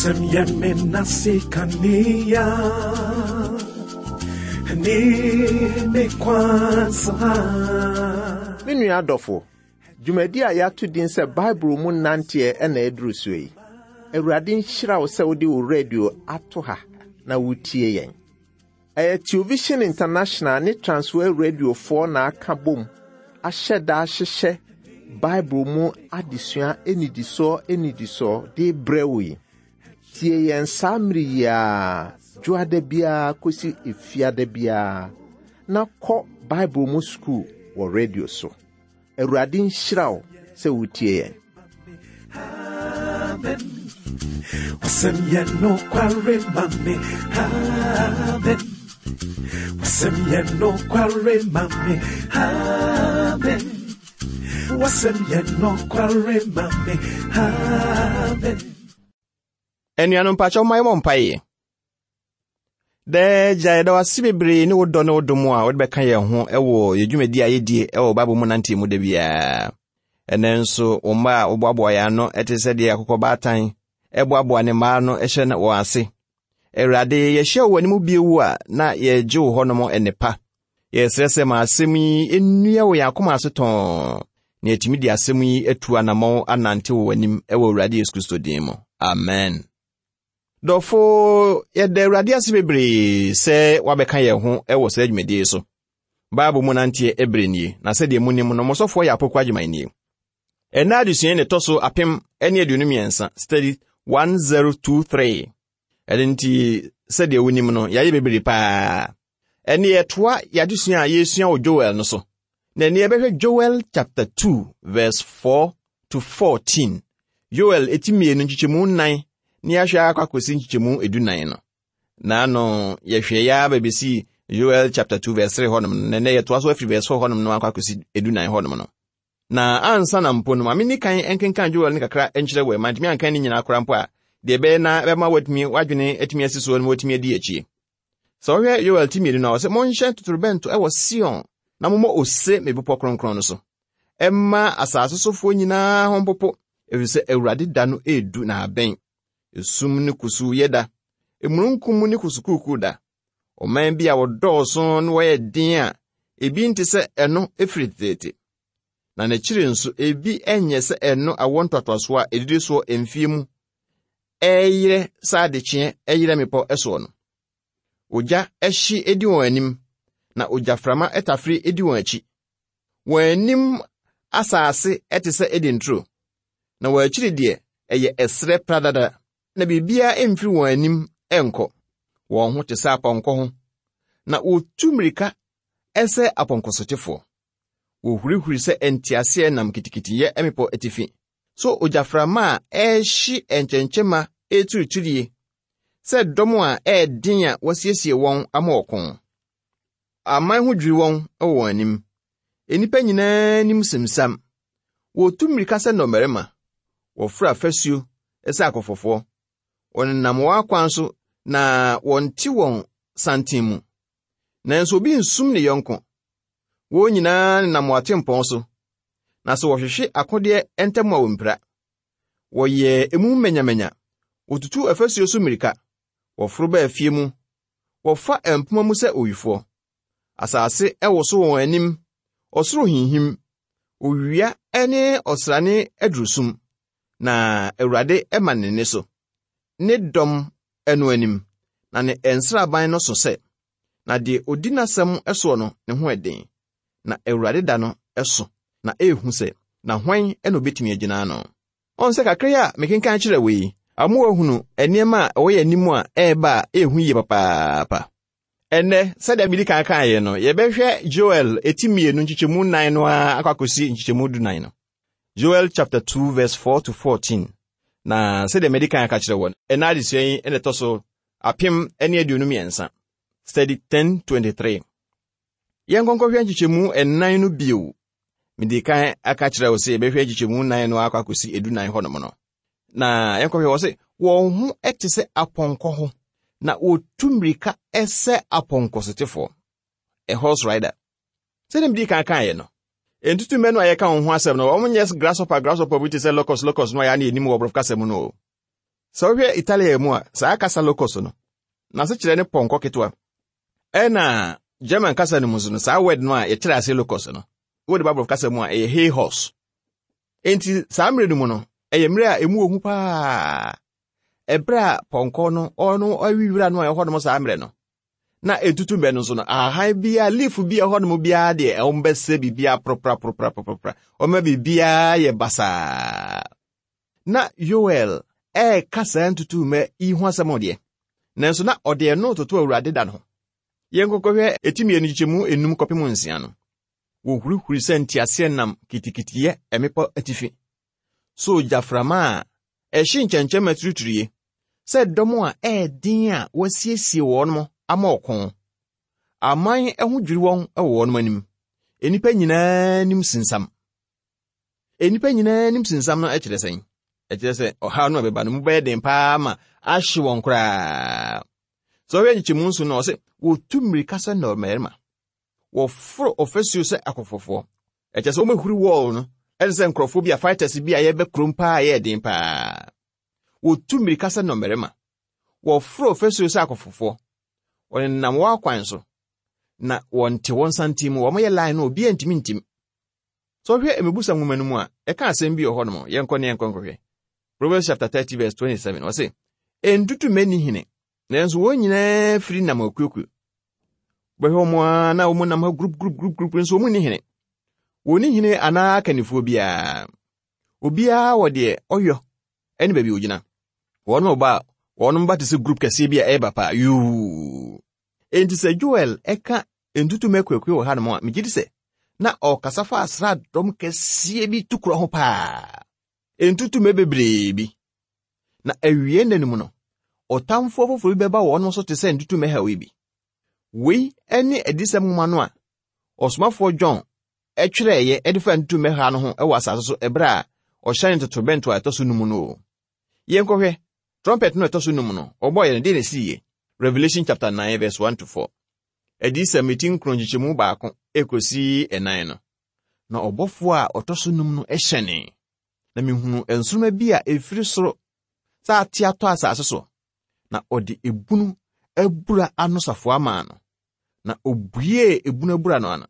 Wasɛm yɛ me nase kanea ne me kwan so ha. Me nua adɔfo, dwumadi a yɛato din sɛ Bible mu nanteɛ na aduru soɔ yi. Awurade nhyira wo sɛ wode wo radio ato ha na wotie yɛn. Ɛyɛ Television International ne Transworld Radiofoɔ na aka bom ahyɛ da ahyehyɛ Bible mu adesua nnidisoɔ nnidisoɔ de rebrɛ wo yi. Tie yɛn saa mmere yi ara, dwoada biara kɔsi efiada biara, na kɔ Bible mu sukuu wɔ radio so. Awurade nhyira wo sɛ wotie yɛn. Amen. Wasɛm yɛ nokware ma me. Amen. Wasɛm yɛ nokware ma me. Amen. Wasɛm yɛ nokware ma me. Amen. Anuanom mpakyɛw ma yɛmmɔ mpaeɛ. Daa Agya, yɛda wo ase bebree ne wo dɔ ne wo dom a wode bɛka yɛn ho wɔ yɛn dwumadi a yɛdie wɔ Bible mu nanteɛ mu da biara. Ɛnɛ nso, wo mma a woboaboa yɛn ano te sɛ deɛ akokɔ baatan boaboa ne mma ano hyɛ wɔn ase. Awurade, yɛhyia wo w'anim bio a na yɛregye wo hɔnom nnepa. Yɛsrɛ sɛ ma asɛm yi nnua wɔ yɛn akoma ase tɔnn na yɛatumi de asɛm yi atu anammɔn anante wɔ w'anim wɔ Awurade Yesu Kristo din mu. Amen. Dɔfo, yɛda Awurade ase bebree sɛ wabɛka yɛn ho wɔ saa dwumadie yi so. Bible mu nanteɛ ɛberɛ nie, na sɛdeɛ monim no, mo sɔfoɔ yɛ Apoku Agyeman nie. Ɛnnɛ adesua yi na ɛtɔ so 1023, study 1023. Ɛno nti, sɛdeɛ wonim no, yɛayɛ bebree paa. Ɛnne yɛtoa yɛadesua a yɛresua wɔ Joel no so. Na ɛnne yɛbɛhwɛ Joel chapter 2 verse 4 to 14. Joel eti mmienu nkyekyɛmu nnan ne yɛahwɛ akɔ akɔsi nkyekyɛmu edunan no. Na ano yɛhwɛ yɛ ara bɛbɛsi Joel chapter 2 verse 3 hɔnom no, na ɛnɛ yɛtoa so afiri verse 4 hɔnom no akɔ akɔsi edunan hɔnom no. Na ansa na mpo no, ma menni kan nkenkan Joel no kakra nkyerɛ wo, mantumi ankan ne nyinaa koraa mpo a, deɛ ɛbɛyɛ na ɛbɛma woatumi w'adwene atumi asi soɔ na woatumi adi akyie. Sɛ wohwɛ Yoel ti mmienu no a, ɔsɛ monhyɛ totorobɛnto wɔ Sion na mommɔ ose me bepɔ kronkron no so. Ɛmma asase sofoɔ nyinaa ho mpopo, ɛfiri sɛ Awurade da no redu na abɛn. Esum ne kusuuyɛ da, emununkum ne kusukuukuu da. Ɔman bi a wɔdɔɔso na wɔyɛ den a ebi nte sɛ ɛno firi teteete. Na n'akyiri nso ebi nyɛ sɛ ɛno awoɔ ntoatoasoɔ a ɛdidi soɔ mfie mu ɛreyerɛ sɛ adekyeɛ ɛyerɛ mmepɔ soɔ no. Ogya hye di wɔn anim, na ogyaframa tafere di wɔn akyi. Wɔn anim asase te sɛ Eden turo, na wɔn akyiri deɛ ɛyɛ ɛserɛ pradada, na biribiara mfiri wɔn anim nkɔ. Wɔn ho te sɛ apɔnkɔ ho, na wɔtu mmirika sɛ apɔnkɔsotefoɔ. Wɔhurihuri sɛ nteaseɛnam kitikitiyɛ mmepɔ atifi. So ogyaframa a ɛrehye nkyɛnkyɛmma returiturie sɛ dɔm a ɛyɛ den a wɔasiesie wɔn ama ɔko. Aman ho dwiri wɔn wɔ wɔn anim. Nnipa nyinaa anim simsam. Wɔtu mmirika sɛ nnɔmmarima. Wɔforo afasuo sɛ akɔfɔfoɔ. Wɔnenam wɔn akwan so na wɔnte wɔn santen mu. Nanso obi nsum ne yɔnko. Wɔn nyinaa nenam wɔn atempɔn so, na sɛ wɔhwehwe akodeɛ ntam a wɔmpira. Wɔyɛ emu manyamanya, wɔtutu afasuo so mmirika, wɔforo ba afie mu, wɔfa mpoma mu sɛ owifoɔ. Asase woso wɔ wɔn anim, ɔsoro hinhim, owia ne ɔsrane aduru sum, na Awurade ma ne nne so, ne dɔm no anim, na ne nsraban no so sɛ. Na deɛ ɔdi n'asɛm soɔ no, ne ho yɛ den. Na Awurade da no so, na ɛyɛ hu sɛ, na hwan na ɔbɛtumi agyina ano? Ɔn sɛ kakra yi a mekenkan kyerɛ wo yi, ama woahunu nneɛma a ɛwɔ yɛn anim a ɛreba a ɛyɛ hu yie papaapa. Ɛnnɛ, sɛdeɛ medi kan kaeɛ no, yɛbɛhwɛ Joel eti mmienu nkyekyɛmu nnan no ara akɔ akɔsi nkyekyɛmu dunan no. Joel chapter 2 verse 4 to 14. Na sɛdeɛ madi kan aka kyerɛ wɔ ɛna adesua yi na ɛtɔ so 1023. Study 1023. Yɛnkɔnkɔhwɛ nkyekyɛmu nnan no bio. Mede kan aka kyerɛ wo sɛ yɛbɛhwɛ nkyekyɛmu nnan no akɔ akɔsi edunan hɔnom no. Na yɛnkɔhwɛ wɔ sɛ wɔn ho te sɛ apɔnkɔ ho, na wɔtu mmirika sɛ apɔnkɔsotefoɔ. A horse rider. Sɛdeɛ mede kan kaeɛ no, ntutummɛ no a yɛka wɔn ho asɛm no, wɔn nyɛ grasshopper grasshopper bi te sɛ locust locust no a yɛa ne yɛnim wɔ borɔfo kasa mu no o. Sɛ wohwɛ Italia mu a, saa kasa locust no, n'asekyerɛ ne pɔnkɔ ketewa. Ɛna German kasa no mu nso no, saa word no a yɛkyerɛ ase locust no, wode ba borɔfo kasa mu a, ɛyɛ hay horse. Enti saa mmerɛ no mu no, ɛyɛ mmerɛ a emu wɔ hu paa. Ɛberɛ a pɔnkɔ no ɔno awi wira no a ɛwɔ hɔnom saa mmerɛ no, na ɛtutu mmɛ no nso no, ahahan biara, leaf bi a ɛwɔ hɔnom biara deɛ, wɔn bɛsɛ biribiara poropora, wɔma biribiara yɛ basaa. Na Yoel ɛreka saa ntutummɛ yi ho asɛm deɛ, nanso na ɔde ɛno toto Awurade da no ho. Yɛnkɔkɔhwɛ eti mmienu nkyekyɛmu enum kɔpem nsia no. Wɔhurihuri sɛ nteaseɛnam kitikitiyɛ mmepɔ atifi, sɛ ogyaframa a ɛhye nkyɛnkyɛmma turiturie, sɛ dɔm a ɛyɛ den a wɔasiesie wɔn ama ɔko. Aman ho dwiri wɔn wɔ wɔn anim. Nnipa nyinaa anim sinsam. Nnipa nyinaa anim sinsam no kyerɛ sɛn? Ɛkyerɛ sɛ ɔhaw no a ɛbɛba no mu bɛyɛ den paa ma ahye wɔn koraa. Sɛ ɔhwɛ nkyekyɛmu nso no, ɔse wɔtu mmirika sɛ nnɔmmarima. Wɔforo ɔfasuo sɛ akɔfɔfoɔ. Ɛkyɛ sɛ wɔmɛhuri wɔɔl no ɛne sɛ nkurɔfoɔ bi a fighters bi a yɛbɛ kurom paa yɛ den paa. Wɔtu mmirika sɛ nnɔmmarima. Wɔforo ɔfasuo sɛ akɔfɔfoɔ. Wɔnenam wɔn akwan so na wɔnte wɔn santen mu. Wɔyɛ line no obiara ntumi ntim. Sɛ ɔhwɛ Mmebusɛm nwoma no mu a, ɛka asɛm bi wɔ hɔnom. Yɛnkɔ ne yɛnkɔ nkɔhwɛ. Proverbs chapter 30 verse 27. Ɔse, Ntutu mmɛ hene, nanso wɔn nyinaa firi nam akuakuo. Bɛhwɛ wɔn ara na wɔn nam ha group group group group nso wɔn nni hene. Wɔn nni hene anaa akannifoɔ biara. Obiara wɔ deɛ ɔyɔ ne baabi ogyina. Wɔn ba a wɔn ba te sɛ group kɛseɛ bi a ɛreba paa yuu. Enti sɛ Joel ɛka ntutummɛ akuakuo wɔ hanom a, megye di sɛ na ɔrekasa fa asraadɔm kɛseɛ bi tukorɔ ho paa. Ntutummɛ bebree bi. Na awie nna no mu no, ɔtamfoɔ foforɔ bi bɛba wɔn so te sɛ ntutummɛ haw yi bi. Wei ne adiyisɛm nwoma no a ɔsomafoɔ John twerɛeɛ de fa ntutummɛ ha no ho wɔ asase so ɛberɛ a ɔhyɛne totorobɛnto a ɛtɔ so num no o. Yɛnkɔhwɛ, trumpet no a ɛtɔ so num no, ɔbɔeɛ no, deɛ na ɛsiiɛ? Revelation chapter 9 verse 1 to 4. Adiyisɛm eti nkron nkyekyɛmu baako ekosi ɛnan no. Na ɔbɔfoɔ a ɔtɔ so num no hyɛnee, na mehunuu nsoromma bi a ɛfiri soro sɛ ate atɔ asase so, na ɔde ebunu abura ano safoa maa no. Na obuee ebunu abura no ano,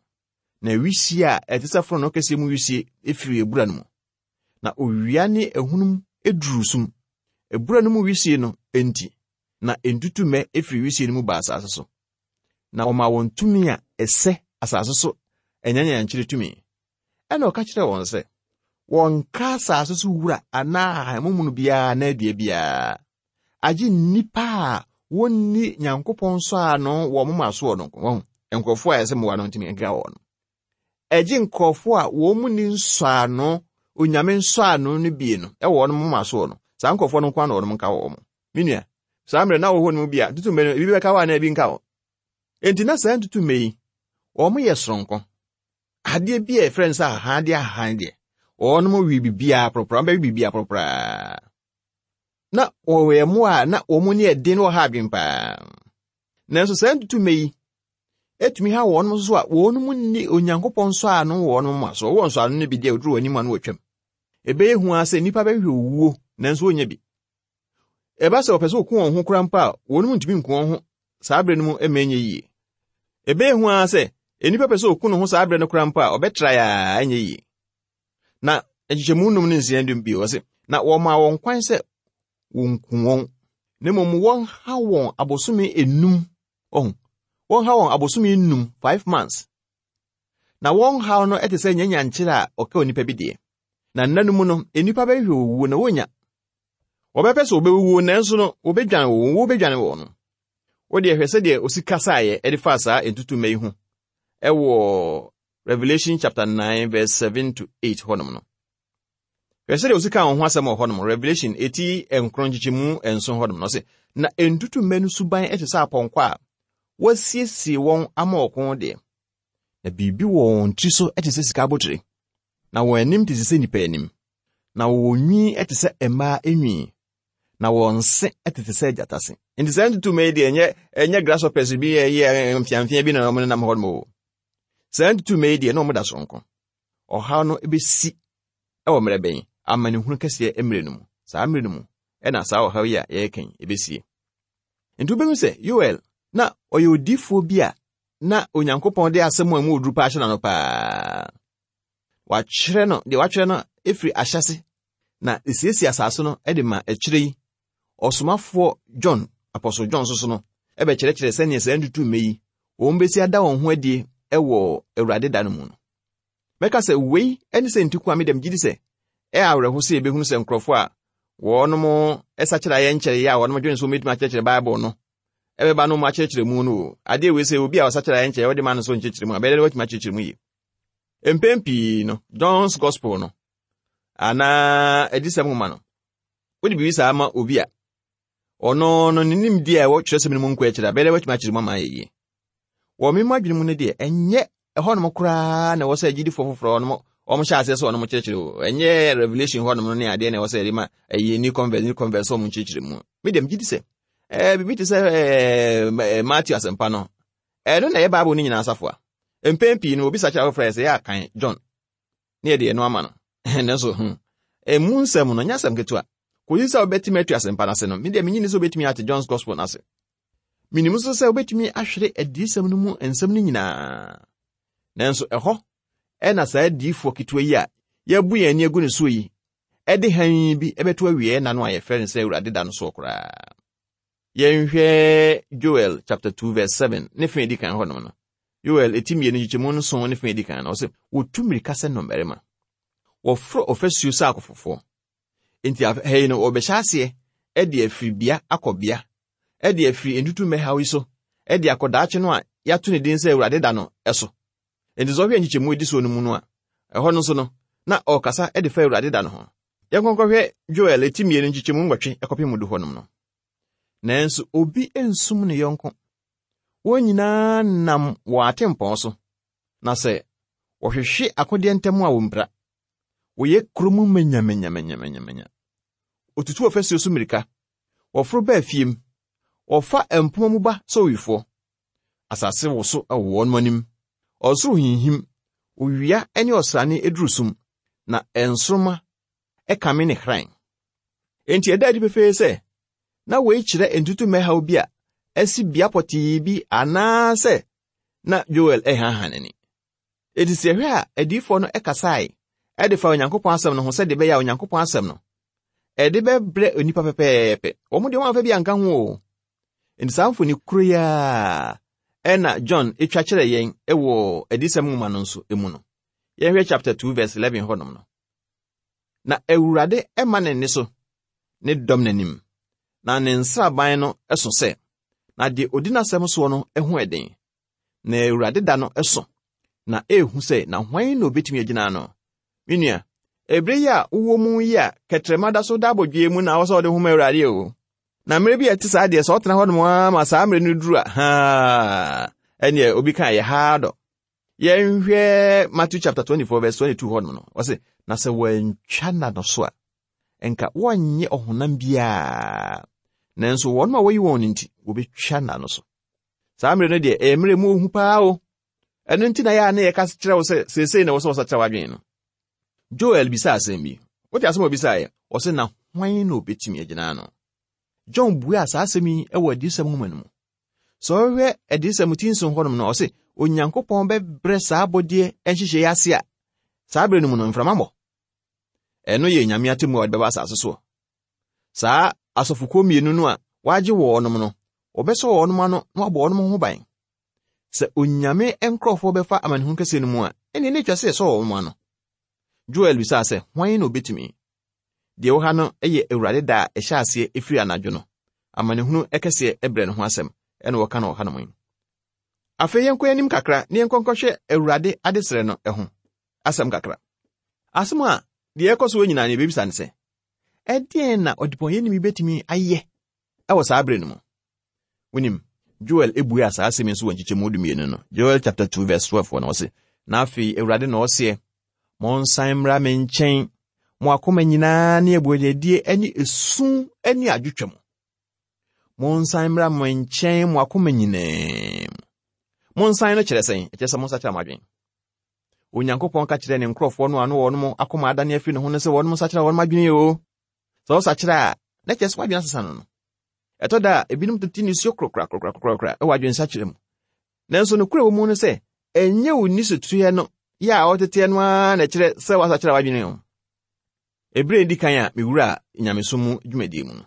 na wisie a ɛte sɛ fononoo kɛseɛ mu wisie firii abura no mu. Na owia ne ahunum duruu sum. Abura no mu wisie no nti, na ntutummɛ firi wisie no mu baa asase so. Na wɔmaa wɔn tumi a ɛsɛ asase so anyanyankyerɛ tumi. Ɛnna ɔka kyerɛɛ wɔn sɛ, wɔnka asase so wura anaa ahahammono biara anaa dua biara, agye nnipa a wɔnni Nyankopɔn nsɔano wɔ wɔn moma soɔ no nko. Wɔn nkurɔfoɔ a ɛsɛ mmoa no ntumi nka wɔn. Ɛgye nkurɔfoɔ a wɔn mu ni nsɔano, onyame nsɔano no bie no wɔ wɔn moma soɔ no. Saa nkurɔfoɔ no nko ara na wɔn nka wɔn. Me nua, saa mmerɛ na wɔ hɔ no mu bi a, ntutummɛ no, ebi bɛka hɔ anaa ebi nka hɔ. Enti na saa ntutummɛ yi, wɔn yɛ soronko. Adeɛ bi a yɛfrɛ no sɛ ahahan deɛ ahahan deɛ, wɔnom we biribiara poropora, wɔbɛwe biribiara poropora. Na wɔyɛ mmoa a na wɔn ani yɛ den na wɔha adwene paa. Nanso saa ntutummɛ yi etumi ha wɔn nso a wɔn mu nni Onyankopɔn nsɔano wɔ wɔn moma so. Wɔwɔ nsɔano no bi deɛ oduru wɔn anim a na wɔatwam. Ɛbɛyɛ hu ara sɛ nnipa bɛhwehwɛ owuo nanso wɔnnya bi. Ɛba sɛ wɔpɛ sɛ wɔku wɔn ho koraa mpo a, wɔn mu ntumi nku wɔn ho saa bere no mu mma ɛnyɛ yie. Ɛbɛyɛ hu ara sɛ nnipa pɛ sɛ wɔku ne ho saa bere no koraa mpo a, ɔbɛtra a ɛnyɛ yie. Na nkyekyɛmu num ne nsia dum bio ɔse, na wɔmaa wɔn kwan sɛ wɔnku wɔn, na mmom wɔnha wɔn abosome enum, ɔho, wɔnha wɔn abosome enum, 5 months. Na wɔn haw no te sɛ nyanyankyerɛ a ɔka onipa bi deɛ. Na nna no mu no, nnipa bɛhwehwɛ owuo na wɔnnya. Wɔbɛpɛ sɛ wɔbɛwuo nanso no, wɔbɛdwane wɔn, owuo bɛdwane wɔn no. Wo deɛ hwɛ sɛdeɛ osi kasaeɛ de faa saa ntutummɛ yi ho ɛwɔ Revelation chapter 9 verse 7 to 8 hɔnom no. Hwɛ sɛdeɛ osi kaa wɔn ho asɛm wɔ hɔnom, Revelation eti nkron nkyekyɛmu nson hɔnom no, ɔse, na ntutummɛ no suban te sɛ apɔnkɔ a wɔasiesie wɔn ama ɔko deɛ, na biribi wɔ wɔn tiri so te sɛ sika abotire, na wɔn anim te sɛ nnipa anim, na wɔwɔ nwi te sɛ mmaa nwi, na wɔn se tete sɛ agyata se. Nti saa ntutummɛ yi deɛ ɛnyɛ ɛnyɛ grasshoppers bi ɛyɛ mfeamfea bi na wɔn nenam hɔ nom o. Saa ntutummɛ yi deɛ na wɔn da soronko. Ɔhaw no bɛsi wɔ mmerɛ bɛn? Amanehunu kɛseɛ mmerɛ no mu. Saa mmerɛ no mu. na saa ɔhaw yi a yɛreka yi ɛbɛsie. Nti wobɛhu sɛ Yoel na ɔyɛ odiyifoɔ bi a na Onyankopɔn de asɛm a ɛmu oduru paa ahyɛ n'ano paa. Watwerɛ no, deɛ watwerɛ no ɛfiri ahyɛse na ɛsiesie asase no de ma akyire yi. Ɔsomafoɔ John, Apostle John nso so no, ɛbɛkyerɛkyerɛ sɛdeɛ saa ntutummɛ yi wɔn bɛsi ada wɔn ho adie wɔ Awurade da no mu no. Mɛka sɛ wei ne sɛ nti ko a me dɛm gyidi sɛ ɛyɛ awerɛho sɛ yɛbɛhunu sɛ nkurɔfoɔ a wɔnom sakyera yɛ nkyɛre a wɔnom dwene sɛ wɔbɛtumi akyerɛkyerɛ Bible no ɛbɛba no mu akyerɛkyerɛ mu no o. Adeɛ wei sɛ obi a ɔsakyera yɛ nkyɛre wɔde ma no sɛ ɔnkyerɛkyerɛ mu a bɛyɛ dɛ watumi akyerɛkyerɛ mu yie. Mpɛn pii no John's Gospel no anaa adisɛm nwoma no wode biribi saa ma obi a ɔno no ne nimdeɛ a ɛwɔ kyerɛsɛm no mu nkɔ akyiri a bɛyɛ dɛ watumi akyerɛ mu ama ayɛ yie. Wɔ me adwene mu no deɛ, ɛnyɛ ɛhɔnom koraa na ɛwɔ sɛ agyidifoɔ foforɔ wɔnom wɔn hyɛ aseɛ sɛ wɔnom kyerɛkyerɛ o. Ɛnyɛ Revelation hɔnom no ne adeɛ na ɛwɔ sɛ yɛde ma ɛyɛ new convert new convert sɛ wɔn nkyerɛkyerɛ mu. Me deɛ megye di sɛ ɛɛ biribi te sɛ ɛɛ Matthew asɛmpa no ɛno na ɛyɛ Bible no nyinaa asafoa. Mpɛn pii no obi sakyera foforɔ yɛ sɛ yɛ akan John ne yɛde ɛno ama no. Nanso hmm emu nsɛm no nyɛ asɛm ketewa. Kɔsi sɛ wobɛtumi atu asɛmpa no ase no, me deɛ menye ni sɛ wobɛtumi ate John's Gospel no ase. Minim nso sɛ wobɛtumi ahwere adiyisɛm no mu nsɛm no nyinaa. Nanso ɛhɔ na saa adiyifoɔ ketewa yi a yɛabu yɛn ani agu ne soɔ yi de hann bi bɛto awieɛ nna no a yɛfrɛ no sɛ Awurade da no soɔ koraa. Yɛnhwɛ Joel chapter 2 verse 7 ne fa edi kan hɔnom no. Joel eti mmienu nkyekyɛmu nson ne fa edi kan no, ɔsɛ wɔtu mmirika sɛ nnɔmmarima. Wɔforo ɔfasuo sɛ akofofoɔ. Enti ha yi no wɔbɛhyɛ aseɛ de afiri bea akɔ bea de afiri ntutummɛ haw yi so de akɔ daakye no a yɛato ne din sɛ Awurade da no so. Enti sɛ ɔhwɛ nkyekyɛmu edi soɔ no mu no a, ɛhɔ no nso no, na ɔrekasa de fa Awurade da no ho. Yɛnkɔnkɔhwɛ Joel eti mmienu nkyekyɛmu nwɔtwe kɔpem du hɔnom no. Nanso obi nsum ne yɔnko. Wɔn nyinaa nam wɔn atempɔn so, na sɛ wɔhwehwe akodeɛ ntam a wɔmpira. Wɔyɛ kurom manyamanyamanyamanya. Wɔtutu ɔfasuo so mmirika. Wɔforo ba afie mu. Wɔfa mpoma mu ba sɛ owifoɔ. Asase woso wɔ wɔn anim. Ɔsoro hinhim. Owia ne ɔsrane duru sum, na nsoromma kame ne hran. Enti ɛda adi pefee sɛ, na wei kyerɛ ntutummɛ haw bi a asi bea pɔtee bi anaasɛ na Joel rehanhan n'ani. Enti sɛ yɛhwɛ a, adiyifoɔ no kasae de fa Onyankopɔn asɛm no ho sɛdeɛ ɛbɛyɛ a Onyankopɔn asɛm no ɛde bɛbrɛ onipa pɛpɛɛpɛ. Wɔn deɛ wɔamfa bi anka ho o. Enti saa mfoni koro yi ara ɛna John twa kyerɛ yɛn wɔ adiyisɛm nwoma no nso mu no. Yɛnhwɛ chapter 2 verse 11 hɔnom no. Na Awurade ma ne nne so ne dɔm n'anim, na ne nsraban no so sɛ, na deɛ odi n'asɛm soɔ no ho ɛden. Na Awurade da no so, na ehu sɛ, na hwan na obetumi agyina ano? Me nua, ebere yi a wowɔ mu yi a kɛtrɛma da so da abodwoe mu na awɔ sɛ ɔde ho ma Awurade o. Na mmerɛ bi a ɛte saa deɛ sɛ ɔtena hɔnom ara ma saa mmerɛ no duru a, haa, ɛneɛ obi ka yɛ haa dɔ. Yɛnhwɛ Matthew chapter 24 verse 22 hɔnom no, ɔse, na sɛ wɔantwa nna no so a, nka wɔnnye ɔhonam biara, nanso wɔn a wɔyi wɔn no nti, wɔbɛtwa nna no so. Saa mmerɛ no deɛ, ɛyɛ mmerɛ mu ohu paa o. Ɛno nti na yɛ a na yɛka kyerɛ wo sɛ seesei na ɛwɔ sɛ wɔsakyera w'adwene no. Joel bisaa asɛm bi. Wote asɛm a ɔbisaeɛ? Ɔse, na hwan na obetumi agyina ano? John buaa saa asɛm yi wɔ Adiyisɛm nwoma no mu. Sɛ ɔhwɛ Adiyisɛm ti nson hɔnom no, ɔse Onyankopɔn bɛbrɛ saa abɔdeɛ nhyehyɛe yi ase a saa berɛ no mu no mframa mmɔ. Ɛno yɛ Nyame atemmu a ɔde bɛba asase soɔ. Saa asɔfokuo mmienu no a wɔagye wɔnom no, wɔbɛsɔ wɔnom ano na wɔabɔ wɔnom ho ban. Sɛ Onyame nkurɔfoɔ bɛfa amanehunu kɛseɛ no mu a, ɛnneɛ na ɛtwa sɛ yɛsɔ wɔn ano. Joel bisaa sɛ, Hwan na obetumi? Deɛ ɛwɔ ha no yɛ Awurade da a ɛhyɛ aseɛ ɛfiri anadwo no, amanehunu kɛseɛ berɛ no ho asɛm na wɔka no wɔ hanom yi. Afei yɛnkɔ anim kakra na yɛnkɔ nkɔhwɛ Awurade adesrɛ no ho asɛm kakra. Asɛm a deɛ ɛkɔ so wɔ nyinaa no yɛbɛbisa ne sɛ, ɛdeɛn na ɔdebɔnyɛni bi bɛtumi ayɛ wɔ saa berɛ no mu? Wonim, Joel buaa saa asɛm yi nso wɔ nkyekyɛmu dumienu no. Joel chapter 2 verse 12 hɔ no, ɔse, Na afei Awurade na ɔseɛ, monsan mmra me nkyɛn, mo akoma nyinaa ne abuadadie ne esu ne adwotwa mu. Monsan mmra me nkyɛn mo akoma nyinaa mu. Monsan no kyerɛ sɛn? Ɛkyerɛ sɛ monsakyera mo adwene. Onyankopɔn ka kyerɛ ne nkurɔfoɔ no a no wɔn akoma adane afiri ne ho no sɛ wɔn nsakyera wɔn adwene o. Sɛ wɔsakyera a, na kyerɛ sɛ w'adwene asesa no no. Ɛtɔ da a, ebinom tete nisuo korakorakorakorakora wɔ adwensakyera mu. Nanso nokorɛ wɔ mu no sɛ, ɛnyɛ wo nisutuɛ no yɛ a ɔteteɛ no ara na ɛkyerɛ sɛ woasakyera w'adwene o. Ɛberɛ a ɛdi kan a mewuraa nyamesom mu dwumadie mu no,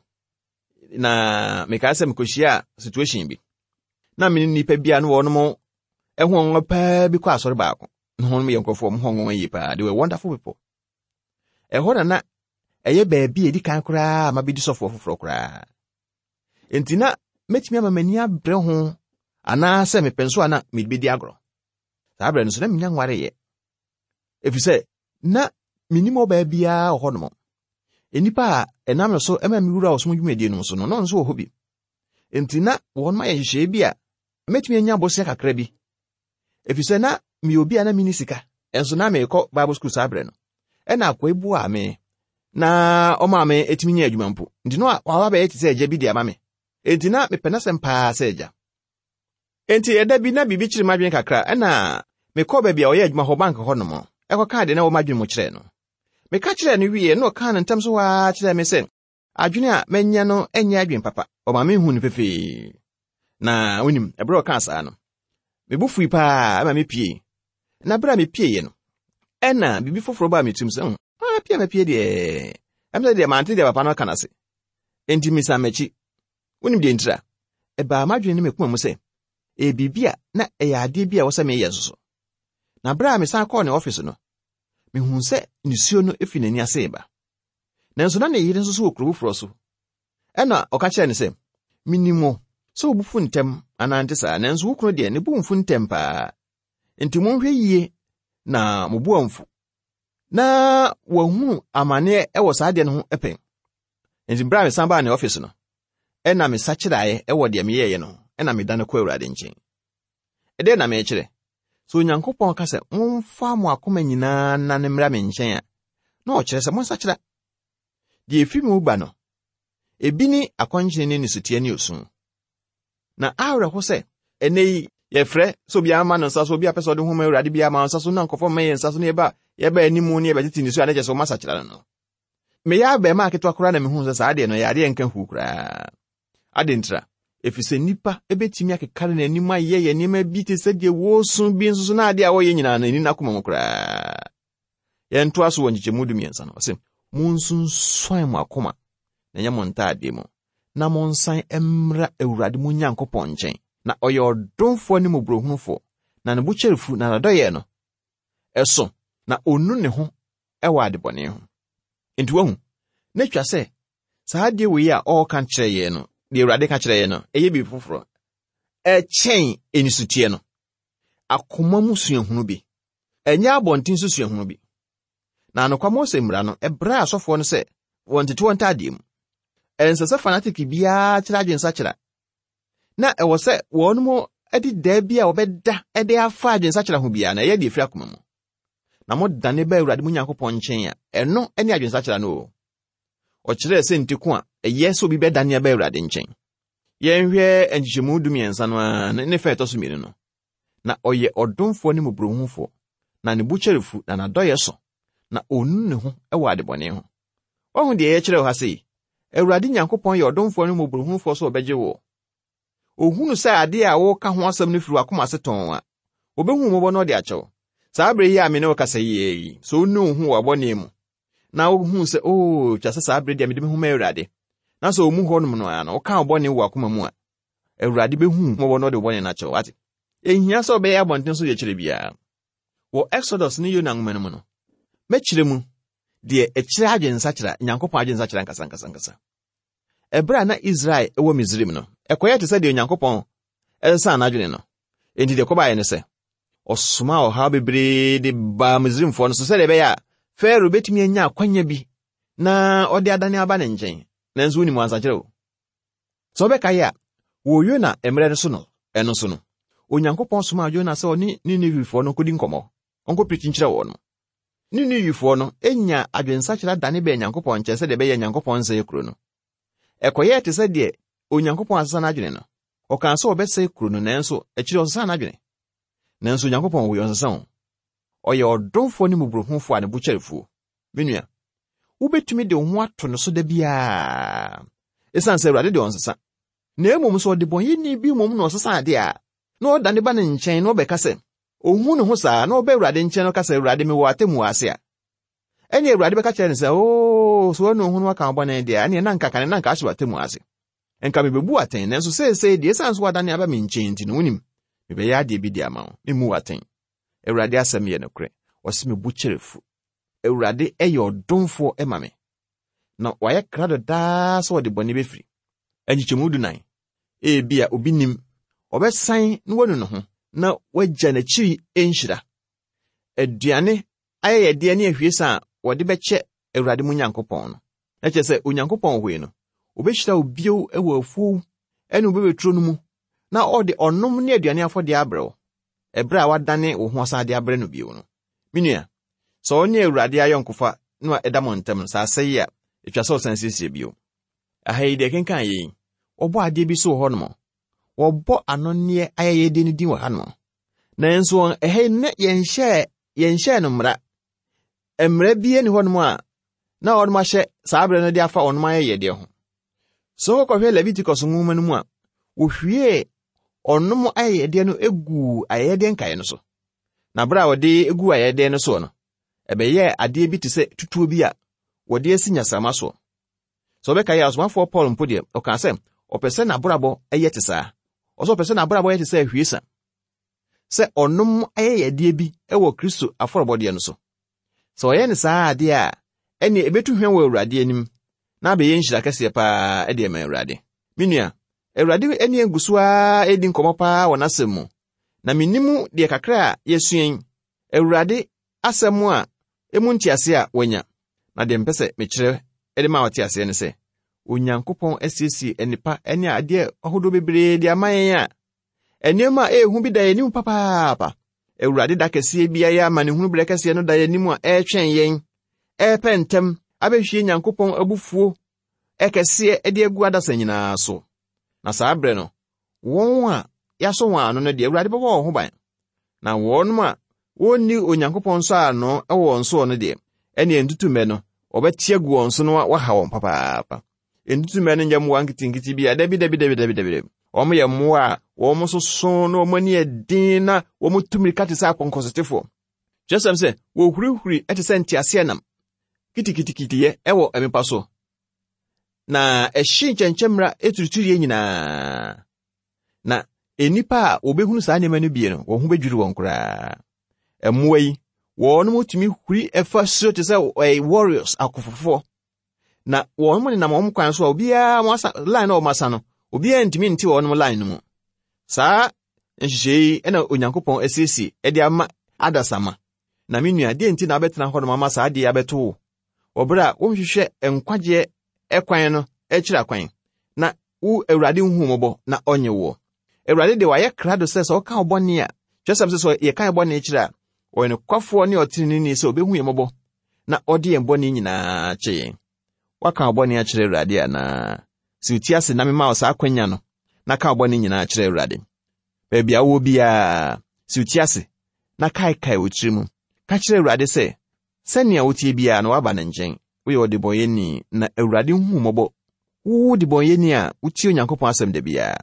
na mekae sɛ mekɔhyiaa situation bi. Na me ne nnipa bi a na wɔnom ɛho nwanwa paa bi kɔ asɔre baako. Na wɔnom yɛ nkurɔfoɔ wɔn ho nwanwa yie paa. They were wonderful people. Ɛhɔ na na ɛyɛ baabi a ɛdi kan koraa a mabɛdi sɔfoɔ foforɔ koraa. Enti na mɛtumi ama m'ani abrɛ ho anaasɛ mepɛ nso a na mede bɛdi agorɔ. Saa berɛ no nso na menya nwareeɛ. Ɛfiri sɛ na menim ɔbaa biara wɔ hɔnom. Nnipa a ɛnam no so ma mewura ɔsom dwumadie no so no, na ɔno nso wɔ hɔ bi. Enti na wɔn ayɛ nhyehyɛeɛ bi a mɛtumi anya bosea kakra bi. Ɛfiri sɛ na meyɛ obi a na menni sika, ɛnso na merekɔ Bible school saa berɛ no. Ɛna akoa yi boaa me na ɔmaa me ɛtumi nya adwuma mpo. Nti na waba bɛyɛ te sɛ agya bi de ama me. Enti na mepɛ n'asɛm paa sɛ agya. Enti ɛda bi na biribi kyere m'adwene kakra, ɛna mekɔɔ baabi a ɔyɛ adwuma hɔ, bank hɔ nom, ɛkɔkaa deɛ na ɛwɔ m'adwene mu kyerɛɛ no. Meka kyerɛɛ no wieɛ na ɔkaa no ntɛm so hɔ ara kyerɛɛ me sɛ adwene a manya no nyɛ adwene papa. Ɔma mehuu no pefee. Na wonim, ɛberɛ a ɔkaa saa no, me bo fui paa ma mepiei. Na berɛ a mepieeɛ no, ɛna biribi foforɔ baa me tirim sɛ, hmm, ah, pie a mapie deɛ, ɛm sɛ deɛ mante deɛ papa no aka no ase. Enti mesan m'akyi. Wonim deɛ ntira? Ɛbaa m'adwene ne me koma mu sɛ, ɛyɛ biribi a na ɛyɛ adeɛ bi a ɛwɔ sɛ meyɛ nso so. Na berɛ a mesan kɔɔ ne ɔfese no, mehuu sɛ nisuo no fi n'ani ase reba. Nanso na ne yere nso so wɔ kuro foforɔ so. Ɛna ɔka kyerɛɛ no sɛ, Menim wo sɛ wo bo fu ntɛm anaa nte saa, nanso wo kunu deɛ ne bo mfu ntɛm paa. Enti monhwɛ yie na mo bo amfu na wahunu amaneɛ wɔ saa adeɛ no ho pɛn. Enti berɛ a mesan baa ne ɔfese no, ɛna mesakyeraeɛ wɔ deɛ meyɛeɛ no ho, ɛna medane kɔ Awurade nkyɛn. Ɛdeɛn na merekyerɛ? Sɛ Onyankopɔn ka sɛ, momfa mo akoma nyinaa nnane mmra me nkyɛn a, na ɔkyerɛ sɛ monsakyera. Deɛ ɛfiri mu ba no, ebi ne akɔnkyene ne nisuteɛ ne osu. Na awerɛho sɛ, ɛnnɛ yi, yɛfrɛ sɛ obiara ma no nsa so, obi a pɛ sɛ ɔde ho ma Awurade biara ma nsa so, na nkurɔfoɔ mma yɛn nsa so, na yɛba yɛba anim ne yɛbɛtete nisuo a na kyerɛ sɛ wɔn asakyera no no. Meyɛ abarimaa ketewa koraa na mehuu sɛ saa adeɛ no ɛyɛ adeɛ nka huu koraa. Ade ntira, ɛfiri sɛ nnipa bɛtumi akekare n'anim ayɛ yɛ nneɛma bi te sɛ deɛ wɔresu bi nso so na adeɛ a wɔyɛ nyinaa no ɛni n'akoma mu koraa. Yɛntoa so wɔ nkyekyɛmu 13 no, ɔse, Monsunsuan mo akoma na ɛnyɛ mo ntaadeɛ mu, na monsan mmra Awurade mo Nyankopɔn nkyɛn, na ɔyɛ ɔdomfoɔ ne mmɔborɔhunufoɔ, na ne bo kyɛre fu, na n'adɔeɛ no ɛso, na ɔnnu ne ho wɔ adebɔne ho. Enti wahu, na atwa sɛ saa adeɛ wei a ɔreka kyerɛ yɛn no, deɛ Awurade ka kyerɛ yɛn no, ɛyɛ biribi foforɔ. Ɛkyɛn anisuteɛ no. Akoma mu suahunu bi. Ɛnyɛ abɔnten so suahunu bi. Na anokwa Mose mmara no, ɛbrɛ asɔfoɔ no sɛ wɔntete wɔn ntaadeɛ mu. Ɛnsɛ sɛ fanatik biara kyerɛ adwensakyera. Na ɛwɔ sɛ wɔn mu de da bi a wɔbɛda de afa adwensakyera ho biara na ɛyɛ deɛ ɛfiri akoma mu. na modane ba Awurade mo Nyankopɔn nkyɛn a, ɛno ne adwensakyera no o. Ɔkyerɛɛ sɛ nti ko a ɛyɛ sɛ obi bɛdane aba Awurade nkyɛn. Yɛnhwɛ nkyekyɛmu 13 no ara ne fa ɛtɔ so mmienu no. Na ɔyɛ ɔdomfoɔ ne mmɔborɔhunufoɔ, na ne bo kyɛre fu, na n'adɔeɛ so, na ɔnnu ne ho wɔ adebɔne ho. Wahu deɛ yɛkyerɛ wɔ ha sei? Awurade Nyankopɔn yɛ ɔdomfoɔ ne mmɔborɔhunufoɔ sɛ ɔbɛgye woɔ. Ohunu sɛ adeɛ a woreka ho asɛm no firi w'akoma ase tɔnn a, obehu wo mmɔbɔ na ɔde akyɛ wo. Saa bere yi a me ne wo kasa yi ara yi, sɛ wonu wo ho wɔ w'bɔne mu, na wohu sɛ, oo, twa sɛ saa bere deɛ mede me ho ma Awurade, na sɛ ɔmu hɔnom no ara no, woka wo bɔne wɔ w'akoma mu a, Awurade behu wo mmɔbɔ na ɔde wo bɔne no akyɛ wo. Wate? Enhia sɛ wobɛyɛ abɔnten so yɛkyerɛ biara. Wɔ Exodus ne Yona nwoma no mu no, mɛkyerɛ mu deɛ ɛkyerɛ adwensakyera, Nyankopɔn adwensakyera ankasa ankasa ankasa. Ɛberɛ a na Israel wɔ Misraim no, ɛkɔyɛɛ te sɛ deɛ Onyankopɔn sesaa n'adwene no. Enti deɛ ɛkɔbaeɛ ne sɛ, ɔsomaa ɔhaw bebree de baa Misraimfoɔ no so sɛdeɛ ɛbɛyɛ a Farao bɛtumi anya akwanya bi na ɔde adane aba ne nkyɛn. Nanso wonim wansakyerɛ o. Sɛ wobɛkae a, wɔ Yona mmerɛ no so no, ɛno so no, Onyankopɔn somaa Yona sɛ ɔne Ninewefoɔ no nkɔdi nkɔmmɔ, ɔnkɔpirikyi nkyerɛ wɔn. Ninewefoɔ no nyaa adwensakyera dane bɛɛ Nyankopɔn nkyɛn sɛdeɛ ɛbɛyɛ Nyankopɔn nsɛe kuro no. Ɛkɔyɛɛ te sɛ deɛ Onyankopɔn asesa n'adwene no. Ɔkaa sɛ ɔbɛsɛe kuro no nanso akyire ɔsesaa n'adwene. Nanso Onyankopɔn wei ɔnsesa o. Ɔyɛ ɔdomfoɔ ne mmɔborɔhunufoɔ a ne bo kyɛre fuo. Me nua, wobɛtumi de wo ho ato no so da biara. Ɛsiane sɛ Awurade deɛ ɔnsesa. Na mmom sɛ ɔdebɔnyɛni bi mmom na ɔsesa adeɛ a, na ɔdane ba ne nkyɛn na ɔbɛka sɛ, ohu ne ho saa na ɔba Awurade nkyɛn na ɔka sɛ, Awurade, mewɔ atemmuo ase a, ɛnneɛ Awurade bɛka kyerɛ no sɛ, Oo, so wanu wo ho na waka wo bɔne deɛ a, ɛnneɛ na anka kane na anka ahyɛ w'atemmuo ase. Nka mebebu wo atɛn, nanso seesei deɛ ɛsiane sɛ woadane aba me nkyɛn nti no, wonim, mebɛyɛ adeɛ bi de ama wo. Memmu wo atɛn. Awurade asɛm yɛ nokorɛ. Ɔse me bo kyɛre fu. Awurade yɛ ɔdomfoɔ ma me, na wayɛ krado daa sɛ ɔde bɔne bɛfiri. Nkyekyɛmu dunan. Ebia obi nim, ɔbɛsan na wanu ne ho na wagya n'akyiri nhyira. Aduane ayɛyɛdeɛ ne ahwiesa a wɔde bɛkyɛ Awurade mo Nyankopɔn no. Na kyerɛ sɛ Onyankopɔn wɔ hɔ yi no, obɛhyira wo bio wɔ afuo ne wo bɛbɛturo no mu, na ɔde ɔnom ne aduane afɔdeɛ abrɛ wo, ɛberɛ a wadane wo ho asan de abrɛ no bio no. Me nua, sɛ wo ne Awurade ayɔnkofa no a ɛda mo ntam no, sɛ asɛe a, ɛtwa sɛ ɔsan siesie bio. Aha yi deɛ kenkan yɛ yi, wɔbɔ adeɛ bi so wɔ hɔnom. Wɔbɔ anonneɛ ayɛyɛdeɛ no din wɔ hanom. Nanso wɔn ɛha yi na yɛnhyɛɛ yɛnhyɛɛ no mmara. Mmara bi ni hɔnom a na wɔnom ahyɛ saa berɛ no de afa wɔnom ayɛyɛdeɛ ho. Sɛ wokɔhwɛ Leviticus nwoma no mu a, wɔhwiee ɔnom ayɛyɛdeɛ no guu ayɛyɛdeɛ nkaeɛ no so. Na berɛ a wɔde guu ayɛyɛdeɛ no soɔ no, ɛbɛyɛɛ adeɛ bi te sɛ tutuo bi a wɔde asi nyasama soɔ. Sɛ wɔbɛka yɛ ɔsomafoɔ Paul mpo deɛ, ɔkaa sɛ ɔpɛ sɛ n'abrabɔ yɛ te saa. Ɔsɛ ɔpɛ sɛ n'abrabɔ yɛ te sɛ ahwiesa, sɛ ɔnom ayɛyɛdeɛ bi wɔ Kristo afɔrebɔdeɛ no so. Sɛ ɔyɛ no saa adeɛ a, ɛnneɛ ɛbɛtu hwɛ wɔ Awurade anim na abɛyɛ nhyira kɛseɛ paa de ama Awurade. Me nua, Awurade ne yɛn gu so ara redi nkɔmmɔ paa wɔ n'asɛm mu, na mennim deɛ kakra a yɛasua yi, Awurade asɛm a emu ntease a wanya. Na deɛ mepɛ sɛ mekyerɛ de ma ɔte aseɛ ne sɛ, Onyankopɔn asiesie nnepa ne adeɛ ahodoɔ bebree de ama yɛn a nneɛma a ɛyɛ hu bi da yɛn anim papaapa. Awurade da kɛseɛ bi ayɛ amanehunu berɛ kɛseɛ no da yɛn anim a ɛretwɛn yɛn, ɛrepɛ ntɛm abɛhwie Nyankopɔn abufuo ɛkɛseɛ de agu adasa nyinaa so. Na saa berɛ no, wɔn a yɛasɔ wɔn ano no deɛ, Awurade bɛbɔ wɔn ho ban. Na wɔn a wɔnni Onyankopɔn nsɔ ano wɔ wɔn soɔ no deɛ, ɛneɛ ntutummɛ no, wɔbɛte agu wɔn so na wɔaha wɔn papaapa. Ntutummɛ no nyɛ mmoa nketenkete bi a, dabi, dabi, dabi, dabi, dabi. Wɔn yɛ mmoa a wɔn soso na wɔn ani yɛ den na wɔn tu mmirika te sɛ apɔnkɔsotefoɔ. Kyerɛsɛm sɛ wɔhurihuri te sɛ nteaseɛnam kitikitikitiyɛ wɔ mmepɔ so, na ɛhye nkyɛnkyɛmmira turuturuiɛ nyinaa. Na nnipa a wɔbɛhunu saa nneɛma no bie no, wɔn ho bɛdwiri wɔn koraa. Mmoa yi, wɔn tumi huri fa soro te sɛ ɛyɛ warriors akofofoɔ. Na wɔn nenam wɔn kwan so a obiara wɔn asa line na wɔn asa no, obiara ntumi nte wɔn line no mu. Saa nhyehyɛe yi na Onyankopɔn asiesie de ama adasamma. Na me nua, deɛ nti na wobɛtena hɔnom ama saa adeɛ abɛto wo wɔ berɛ a wonhwehwɛ nkwagyeɛ kwan no akyiri akwan, na wo Awurade nhu mmɔbɔ na ɔnye woɔ. Awurade deɛ wayɛ krado sɛ sɛ ɔka wo bɔne a, kyerɛsɛm sɛ sɛ yɛka yɛ bɔne kyerɛ a, ɔyɛ nokwafoɔ ne ɔteneneeni sɛ ɔbɛhu yɛn mmɔbɔ na ɔde yɛn bɔne nyinaa kyɛ yɛn. Woaka wo bɔne akyerɛ Awurade anaa? Si wo ti ase na mema wo saa akwanya no na ka wo bɔne nyinaa kyerɛ Awurade. Baabi a wowɔ biara, si wo ti ase na kaekae wo tiri mu. Ka kyerɛ Awurade sɛ, sɛnea woteɛ biara no woaba ne nkyɛn. Woyɛ ɔdebɔneyɛni na Awurade hu wo mmɔbɔ. Wo debɔneyɛni a wotie Onyankopɔn asɛm da biara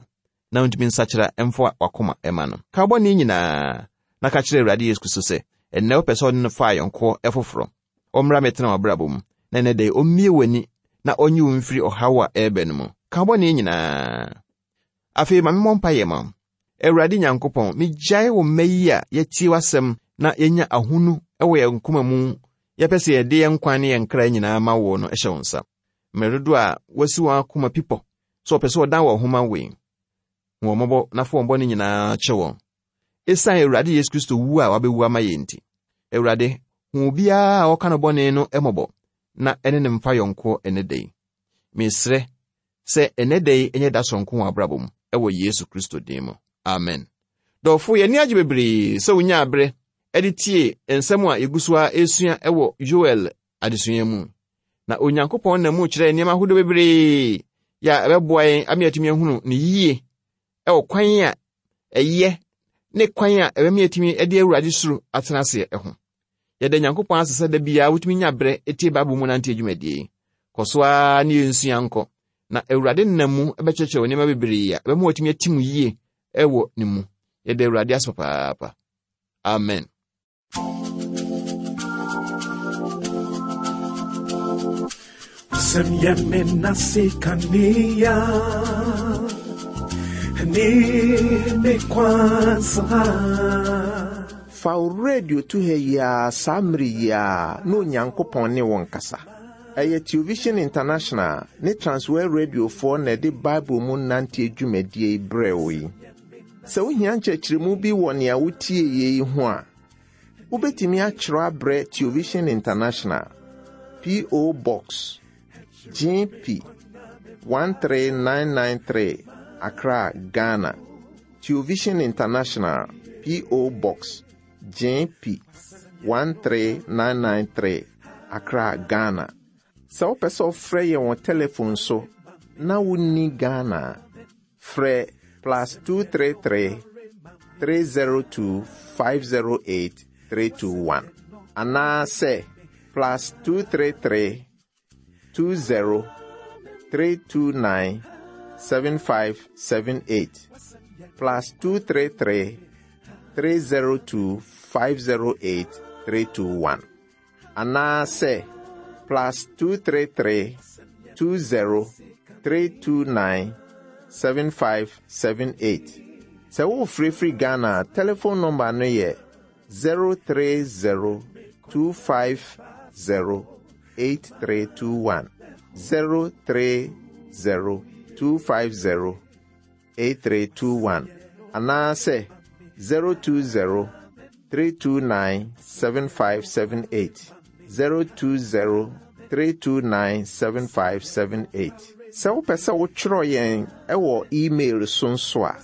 na wontumi nsakyera mfa w'akoma mma no. Ka wo bɔne nyinaa na ka kyerɛ Awurade Yesu Kristo sɛ ɛnnɛ wopɛ sɛ ɔne no fa ayɔnkoɔ foforɔ. Ɔmmra mmɛtena w'abrabɔ mu na ɛnnɛ da yi ɔmmue w'ani na ɔnyi wo mfiri ɔhaw a ɛreba no mu. Ka wo bɔne nyinaa. Afei ma memmɔ mpaeɛ ma wo. Awurade Nyankopɔn, megyae wo mma yi a yɛatie w'asɛm na yɛanya ahonu wɔ yɛn koma mu, yɛpɛ sɛ yɛde yɛn nkwa ne yɛn kra nyinaa ma wo no hyɛ wo nsa. Mmerɛ dodoɔ a wɔasi wɔn akoma pi pɔ sɛ wɔpɛ sɛ wɔdan wɔn ho ma wo yi, hu wɔn mmɔbɔ na fa wɔn bɔne nyinaa kyɛ wɔn. Esiane Awurade Yesu Kristo wu a wabewu ama yɛn nti, Awurade, hu obiara a ɔka no bɔne no mmɔbɔ na ɛne no mfa yɔnkoɔ ɛnnɛ da yi. Mesrɛ sɛ ɛnnɛ da yi nyɛ da soronko wɔ abrabɔ mu wɔ Yesu Kristo din mu. Amen. Dɔfo, yɛn ani agye bebree sɛ wonyaa bere de tie nsɛm a yegu so ara resua wɔ Yoel adesua mu. Na Onyankopɔn nam mu kyerɛ nneɛma ahodoɔ bebree yɛ a ɛbɛboa yɛn ama yɛatumi ahunu no yie wɔ kwan a ɛyɛ ne kwan a ɛbɛma yɛatumi de Awurade suro atena aseɛ ho. Yɛda Nyankopɔn ase sɛ da biara wotumi nya berɛ tie Bible mu nante adwumadie yi. Kɔ so ara ne yɛnsua nkɔ, na Awurade nam mu bɛkyerɛkyerɛ wo nneɛma bebree a ɛbɛma watumi atim yie wɔ ne mu. Yɛda Awurade ase papaapa. Amen. Wasɛm yɛ me nase kanea ne me kwansa. Fa wo radio to ha yi ara saa mmere yi ara na Onyankopɔn ne wo nkasa. Ɛyɛ Television International ne Transworld Radiofoɔ na ɛde Bible mu nanteɛ dwumadie yi brɛɛ wo yi. Sɛ wohia nkyerɛkyerɛmu bi wɔ nea wotieeɛ yi ho a, wobɛtumi akyerɛ abrɛ Television International, P.O. Box, GP 13993, Accra, Ghana. Television International, P.O. Box, GP 13993, Accra, Ghana. Sɛ wopɛ sɛ wofrɛ yɛn wɔ telefon so na wonni Ghana a, frɛ plus 233 302 508 321 anaasɛ plus 233 20 329 7578 plus 233 302 508 321 anaasɛ plus 233 20 329 7578. Sɛ worefrɛfiri Ghana a, telephone number no yɛ 030 250 8321. 030 250 8321 anaasɛ 020 329 7578. 020 329 7578. Sɛ wopɛ sɛ wotwerɛ yɛn wɔ email so nso a,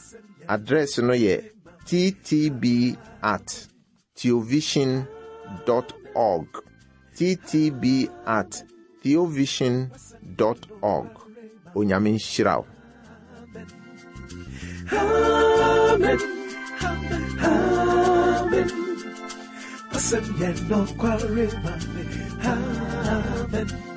address no yɛ ttb at theovision dot org. ttb at theovision dot org. Onyame nhyira wo. Amen. Amen. Wasɛm yɛ nokware ma me. Amen.